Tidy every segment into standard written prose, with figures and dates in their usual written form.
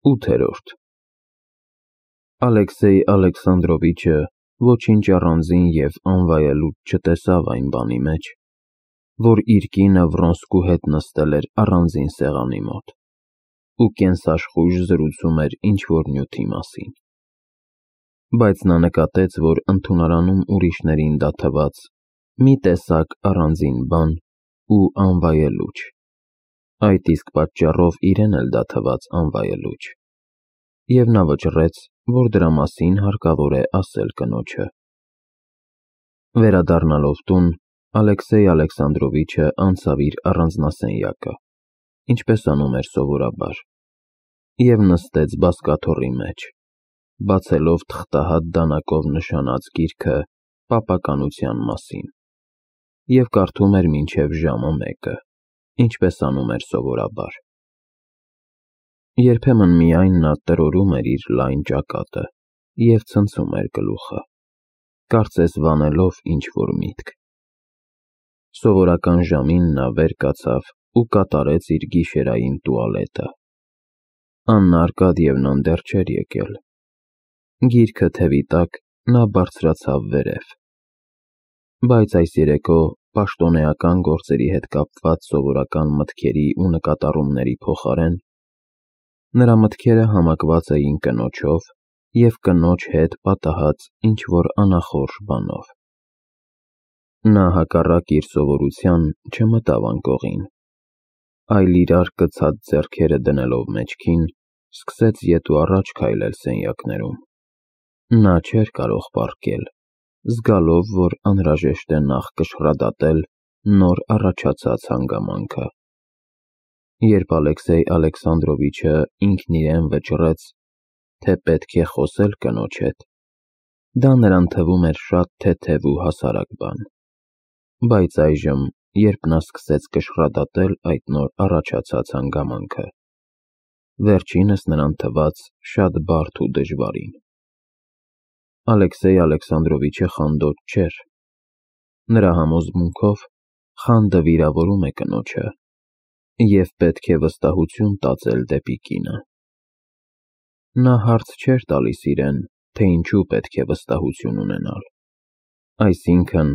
8-րդ Ալեքսեյ Ալեքսանդրովիչը ոչինչ առանձին և անվայելուչ չտեսավ այն բանի մեջ, որ իր կինը Վրոնսկու հետ նստել էր առանձին սեղանի մոտ ու կենսաշխույժ զրուցում էր ինչ-որ նյութի մասին, բայց նա նկատեց, որ ընդունարանում ուրիշներին դա թվաց մի տեսակ առանձին բան ու անվայելուչ, այդ իսկ պատճառով իրեն էլ դա թվաց անվայելուչ, և նա վճռեց, որ դրա մասին հարկավոր է ասել կնոջը։ Վերադառնալով տուն, Ալեքսեյ Ալեքսանդրովիչը անցավ իր առանձնասենյակը, ինչպես անում էր սովորաբար, և նստեց բազկաթոռի մեջ, բացելով թղթահատ դանակով նշանած գիրքը պապականության մասին, և կարդում էր մինչև ժամը 1-ը, ինչպես անում էր սովորաբար։ Երբեմն միայն նա տրորում էր իր լայն ճակատը և ցնցում էր գլուխը, կարծես վանելով ինչ-որ միտք։ Սովորական ժամին նա վեր կացավ ու կատարեց իր գիշերային տուալետը։ Աննա Արկադիևնան դեռ չէր եկել։ Գիրքը թևի տակ նա բարձրացավ վերև։ Բայց այս երեկո պաշտոնեական գործերի հետ կապված սովորական մտքերի ու նկատառումների փոխարեն նրա մտքերը համակված էին կնոջով և կնոջ հետ պատահած ինչ-որ անախորժ բանով։ Նա հակառակ իր սովորության չմտավ անկողին, այլ իրար կցած ձեռքերը դնելով մեջքին, սկսեց ետ ու առաջ քայլել սենյակներում։ Նա չէր կարող պառկել, զգալով, որ անհրաժեշտ է նախ կշռադատել նոր առաջացած հանգամանքը։ Երբ Ալեքսեյ Ալեքսանդրովիչը ինքն իրեն վճռեց, թե պետք է խոսել կնոջ հետ, դա նրան թվում էր շատ թեթև ու հասարակ բան, բայց այժմ, երբ նա սկսեց կշռադատել այդ նոր առաջացած հանգամանքը, վերջինս նրան թվաց շատ բարդ ու դժվարին։ Ալեքսեյ Ալեքսանդրովիչը խանդոտ չէր։ Նրա համոզմունքով խանդը վիրավորում է կնոջը, և պետք է վստահություն տածել դեպի կինը։ Նա հարց չէր տալիս իրեն, թե ինչու պետք է վստահություն ունենալ, այսինքն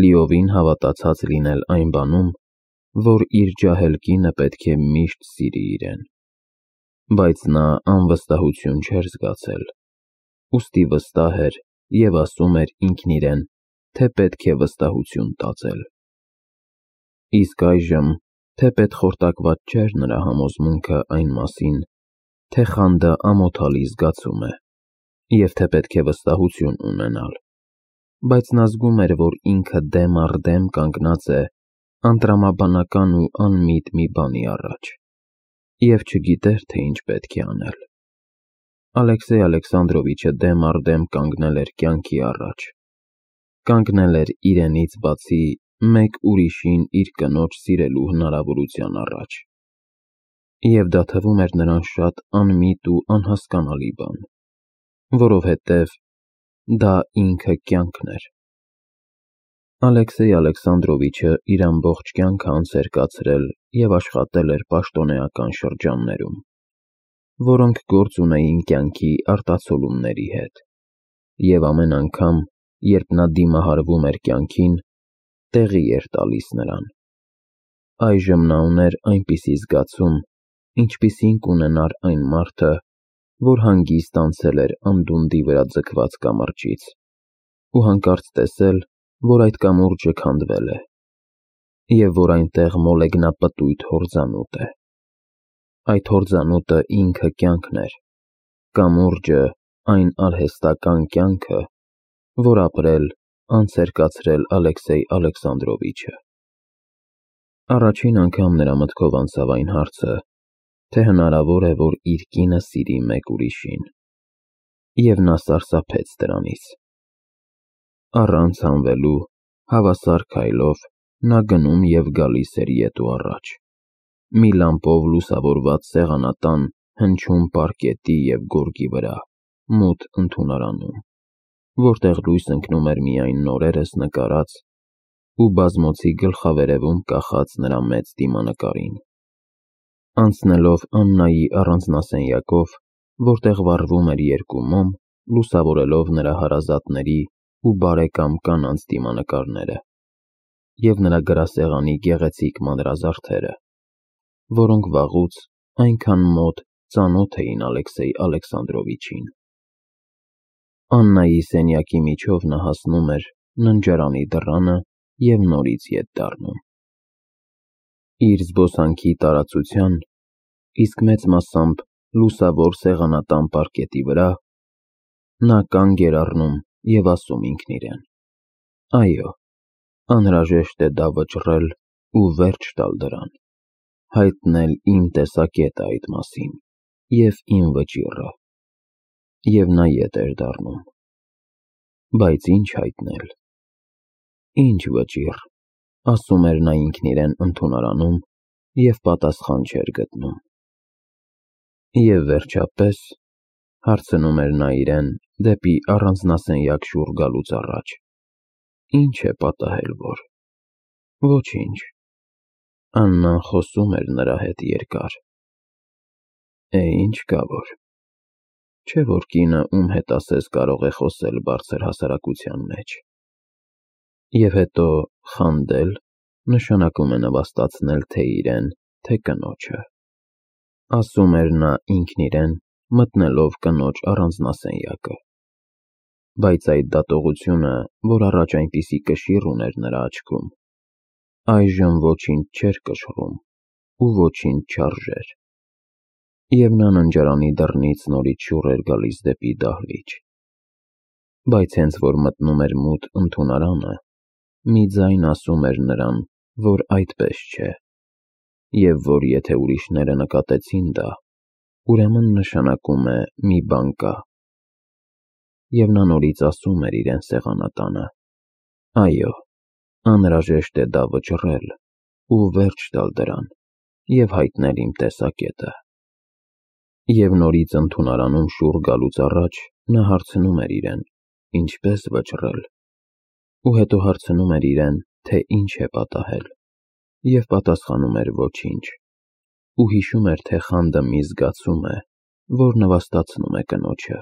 լիովին հավատացած լինել այն բանում, որ իր ջահել կինը պետք է միշտ սիրի իրեն, բայց նա անվստահություն չէր զգացել, ուստի վստահ էր և ասում էր ինքն իրեն, թե պետք է վստահություն տածել։ Իսկ այժմ թեպետ խորտակված չէր նրա համոզմունքը այն մասին, թե խանդը ամոթալի զգացում է, և թե պետք է վստահություն ունենալ, բայց նա զգում էր, որ ինքը դեմ առ դեմ կանգնած է անտրամաբանական ու անմիտ մի բանի առաջ, և չգիտեր, թե ինչ պետք է անել։ Ալեքսեյ Ալեքսանդրովիչը դեմ առ դեմ կանգնել էր կյանքի առաջ, կանգնել էր իրենից բացի մեկ ուրիշին իր կնոջ սիրելու հնարավորության առաջ, և դա թվում էր նրան շատ անմիտ ու անհասկանալի բան, որովհետև դա ինքը կյանքն էր։ Ալեքսեյ Ալեքսանդրովիչը իր ամբողջ կյանքը անց էր կացրել և աշխատել էր պաշտոնեական շրջաններում, որոնք գործ ունեին կյանքի արտացոլումների հետ, և ամեն անգամ, երբ նա դիմահարվում էր կյանքին, տեղի էր տալիս նրան։ Այժմ նա ուներ այնպիսի զգացում, ինչպիսին կունենար այն մարդը, որ հանգիստ անցել էր անդունդի վրա ձգված կամրջից ու հանկարծ տեսել, որ այդ կամուրջը քանդվել է, և որ այնտեղ մոլեգնապտույտ հորձանուտ է։ Այդ հորձանուտը ինքը կյանքն էր, կամուրջը այն արհեստական կյանքը, որ ապրել, անց էր կացրել Ալեքսեյ Ալեքսանդրովիչը։ Առաջին անգամ նրա մտքով անցավ այն հարցը, թե հնարավոր է, որ իր կինը սիրի մեկ ուրիշին, և նա սարսափեց դրանից։ Առանց հանվելու, հավասար քայլով նա գնում և գալիս էր ետ ու առաջ, մի լամպով լուսավորված սեղանատան հնչյուն պարկետի և գորգի վրա, մութ ընդունարանում, որտեղ լույս ընկնում էր միայն նորերս նկարած ու բազմոցի գլխավերևում կախած նրա մեծ դիմանկարին։ Անցնելով Աննայի առանձնասենյակով, որտեղ վառվում էր երկու մոմ, լուսավորելով նրա հարազատների ու բարեկամ կանանց դիմանկարները, և նրա գրասեղանի գեղեցիկ մանրազարդերը, որոնք վաղուց այնքան մոտ ծանոթ էին Ալեքսեյ Ալեքսանդրովիչին։ Աննայի սենյակի միջով նա հասնում էր ննջարանի դռանը և նորից ետ դառնում։ Իր զբոսանքի տարածության, իսկ մեծ մասամբ լուսավոր սեղանատան պարկետի վրա, նա կանգ էր առնում և ասում ինքն իրեն. «Այո, անհրաժեշտ է դա վճռել ու վերջ տալ դրան, հայտնել իմ տեսակետը այդ մասին և իմ վճիռը»։ Եվ նա ետ էր դառնում։ Բայց ինչ հայտնել, ինչ վճիռ, ասում էր նա ինքն իրեն ընդունարանում և պատասխան չէր գտնում։ Եվ վերջապես, հարցնում էր նա իրեն դեպի առանձնասենյակ շուռ գալուց առաջ, ի՞նչ է պատահել, որ… Ոչինչ։ Աննան խոսում էր նրա հետ երկար։ Ինչ կա որ… Չէ որ կինը, ում հետ ասես կարող է խոսել բարձր հասարակության մեջ։ Եվ հետո խանդել նշանակում է նվաստացնել թե իրեն, թե կնոջը, ասում էր նա ինքն իրեն, մտնելով կնոջ առանձնասենյակը։ Բայց այդ դատողությունը, որ առաջ այնպիսի կշիռ ուներ նրա աչքում, այժմ ոչինչ չէր կշռում ու ոչինչ չարժեր։ Եվ նա ննջարանի դռնից նորից շուռ էր գալիս դեպի դահլիճ։ Բայց հենց որ մտնում էր մութ ընդունարանը, մի ձայն ասում էր նրան, որ այդպես չէ, և որ եթե ուրիշները նկատեցին դա, ուրեմն նշանակում է մի բան կա։ Եվ նա նորից ասում էր իրեն սեղանատանը. «Այո, անհրաժեշտ է դա վճռել ու վերջ տալ դրան և հայտնել իմ տեսակետը»։ Եվ նորից ընդունարանում շուռ գալուց առաջ նա հարցնում էր իրեն, ինչպես վճռել, ու հետո հարցնում էր իրեն, թե ինչ է պատահել, և պատասխանում էր ոչինչ, ու հիշում էր, թե խանդը մի զգացում է, որ նվաստացնում է կնոջը։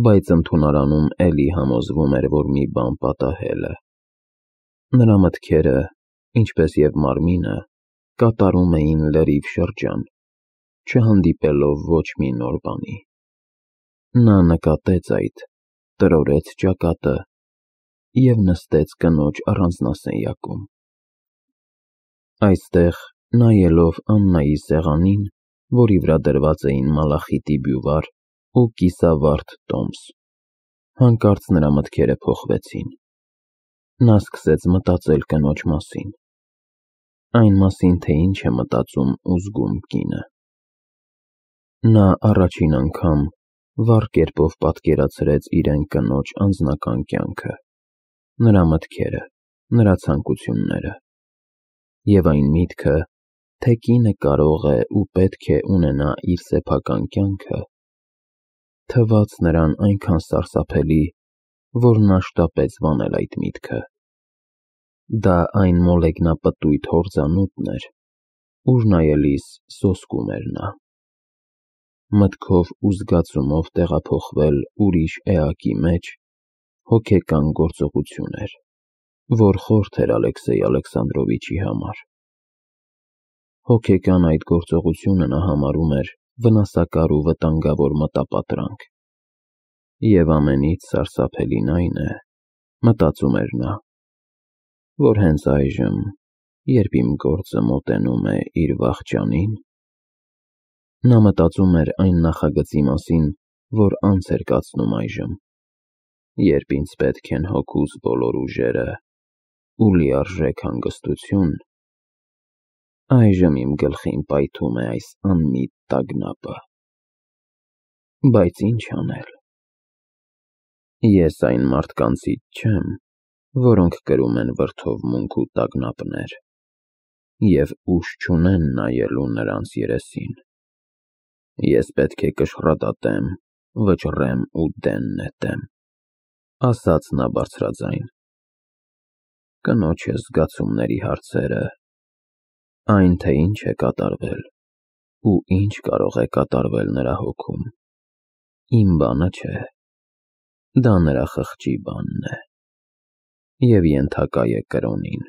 Բայց ընդունարանում էլի համոզվում էր, որ մի բան պատահել է։ Նրա մտքերը, ինչպես և մարմինը, կատարում էին լրիվ շրջան, չհանդիպելով ոչ մի նոր բանի։ Նա նկատեց այդ, տրորեց ճակատը և նստեց կնոջ առանձնասենյակում։ Այստեղ, նայելով Աննայի սեղանին, որի վրա դրված էին մալախիտի բյուվար ու կիսավարդ տոմս, հանկարծ նրա մտքերը փոխվեցին։ Նա սկսեց մտածել կնոջ մասին, այն մասին, թե ինչ է մտածում ու զգում կինը։ Նա առաջին անգամ վառ կերպով պատկերացրեց իրեն կնոջ անձնական կյանքը, նրա մտքերը, նրա ցանկությունները, և այն միտքը, թե կինը կարող է ու պետք է ունենա իր սեփական կյանքը, թվաց նրան այնքան սարսափելի, որ նա շտապեց վանել այդ միտքը։ Դա այն մոլեգնապտույտ հորձանուտն էր, ուր նայելիս սոսկում էր նա։ Մտքով ու զգացումով տեղափոխվել ուրիշ էակի մեջ հոգեկան գործողություն էր, որ խորթ էր Ալեքսեյ Ալեքսանդրովիչի համար։ Հոգեկան այդ գործողությունը նա համարում էր վնասակար ու վտանգավոր մտապատրանք։ Եվ ամենից սարսափելին այն է, մտածում էր նա, որ հենց այժմ, երբ իմ գործը մոտենում է իր վախճանին, նա մտածում էր այն նախագծի մասին, որ անց էր կացնում այժմ, երբ ինձ պետք են հոգուս բոլոր ուժերը ու լիարժեք հանգստություն, այժմ իմ գլխին պայթում է այս անմիտ տագնապը։ Բայց ինչ անել։ Ես այն մարդկանցից չեմ, որոնք կրում են վրդովմունք ու տագնապներ և ուժ չունեն նայելու նրանց երեսին։ Ես պետք է կշռադատեմ, վճռեմ ու դեն նետեմ, ասաց նա բարձրաձայն։ Կնոջս զգացումների հարցերը, այն, թե ինչ է կատարվել, ու ինչ կարող է կատարվել նրա հոգում։ Իմ բանը չէ, դա նրա խղճի բանն է, և ենթակա է կրոնին,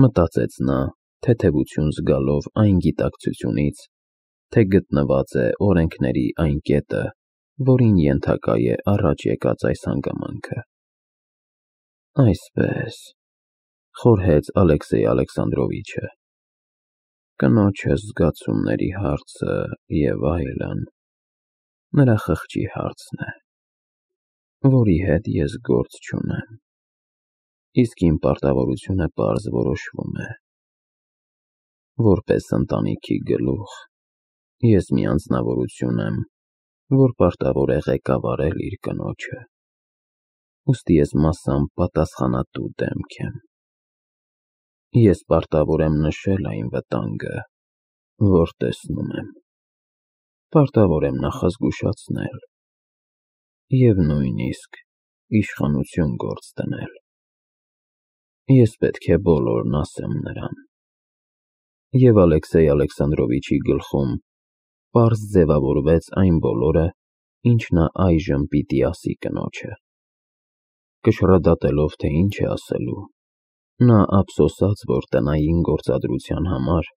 մտածեց նա, թեթևություն զգալով այն գիտակցությունից, թե գտնված է օրենքների այն կետը, որին ենթակա է առաջ եկած այս հանգամանքը։ Այսպես, խորհեց Ալեքսեյ Ալեքսանդրովիչը, կնոջը զգացումների հարցը և այլն, նրա խղճի հարցն է, որի հետ ես գործ չունեմ, իսկ իմ պարտավորությունը պարզ որոշվում է։ Որպես ընտանիքի գլուխ, ես մի անձնավորություն եմ, որ պարտավոր է ղեկավարել իր կնոջը, ուստի ես մասամբ պատասխանատու դեմք եմ։ Ես պարտավոր եմ նշել այն վտանգը, որ տեսնում եմ, պարտավոր եմ նախազգուշացնել և նույնիսկ իշխանություն գործ դնել։ Ես պետք է բոլորն ասեմ նրան։ Եվ Ալեքսեյ Ալեքսանդրովիչի գլխում պարզ ձևավորվեց այն բոլորը, ինչ նա այժմ պիտի ասի կնոջը։ Կշռադատելով, թե ինչ է ասելու, նա ափսոսաց, որ տնային գործադրության համար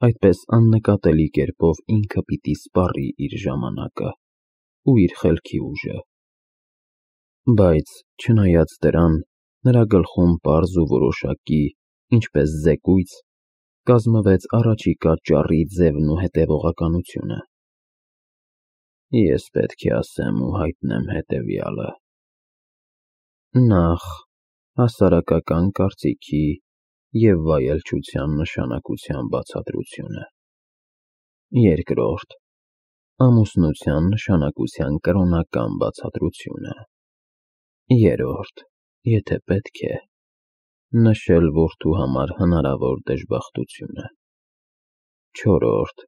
այդպես աննկատելի կերպով ինքը պիտի սպառի իր ժամանակը ու իր խելքի ուժը։ Բայց չնայած դրան, նրա գլխում պարզ ու որոշակի, ինչպես զեկույց, կազմվեց առաջիկա ճառի ձևն ու հետևողականությունը։ Ես պետք է ասեմ ու հայտնեմ հետևյալը. Նախ, հասարակական կարծիքի և վայելչության նշանակության բացատրությունը։ Երկրորդ, ամուսնության նշանակության կրոնական բացատրությունը։ Երրորդ, եթե պետք է, նշել որդու համար հնարավոր դժբախտությունը։ Չորրորդ,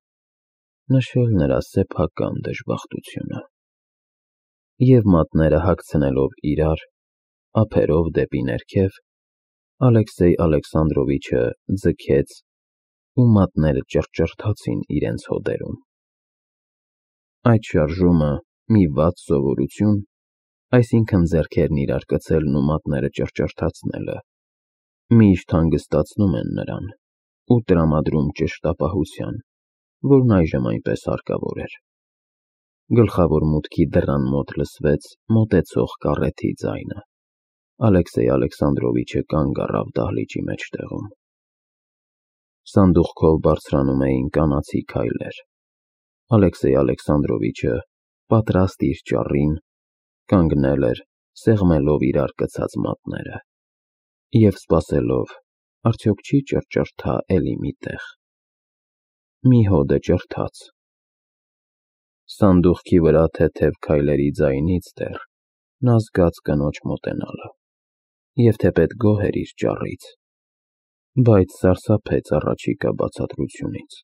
նշել նրա սեփական դժբախտությունը։ Եվ մատները հագցնելով իրար, ափերով դեպի ներքև, Ալեքսեյ Ալեքսանդրովիչը ձգեց ու մատները ճռճռթացին իրենց հոդերում։ Այդ շարժումը մի վատ սովորություն, այսինքն ձեռքերն իրար կցելն ու մատները ճռճռթացնելը, միշտ հանգստացնում են նրան ու տրամադրում ճշտապահության, որն այժմ այնպես հարկավոր էր։ Գլխավոր մուտքի դռան մոտ լսվեց մոտեցող կառեթի ձայնը։ Ալեքսեյ Ալեքսանդրովիչը կանգ առավ դահլիճի մեջտեղում։ Սանդուղքով բարձրանում էին կանացի քայլեր։ Ալեքսեյ Ալեքսանդրովիչը, պատրաստ իր ճառին, կանգնել էր, սեղմելով իրար կցած մատները և սպասելով, արդյոք չի ճռճռթա էլի մի տեղ։ Մի հոդը ճռթաց։ Սանդուղքի վրա թեթև քայլերի ձայնից դեռ նա զգաց կնոջ մոտենալը և թեպետ գոհ էր իր ճառից, բայց սարսափեց առաջիկա բացատրությունից։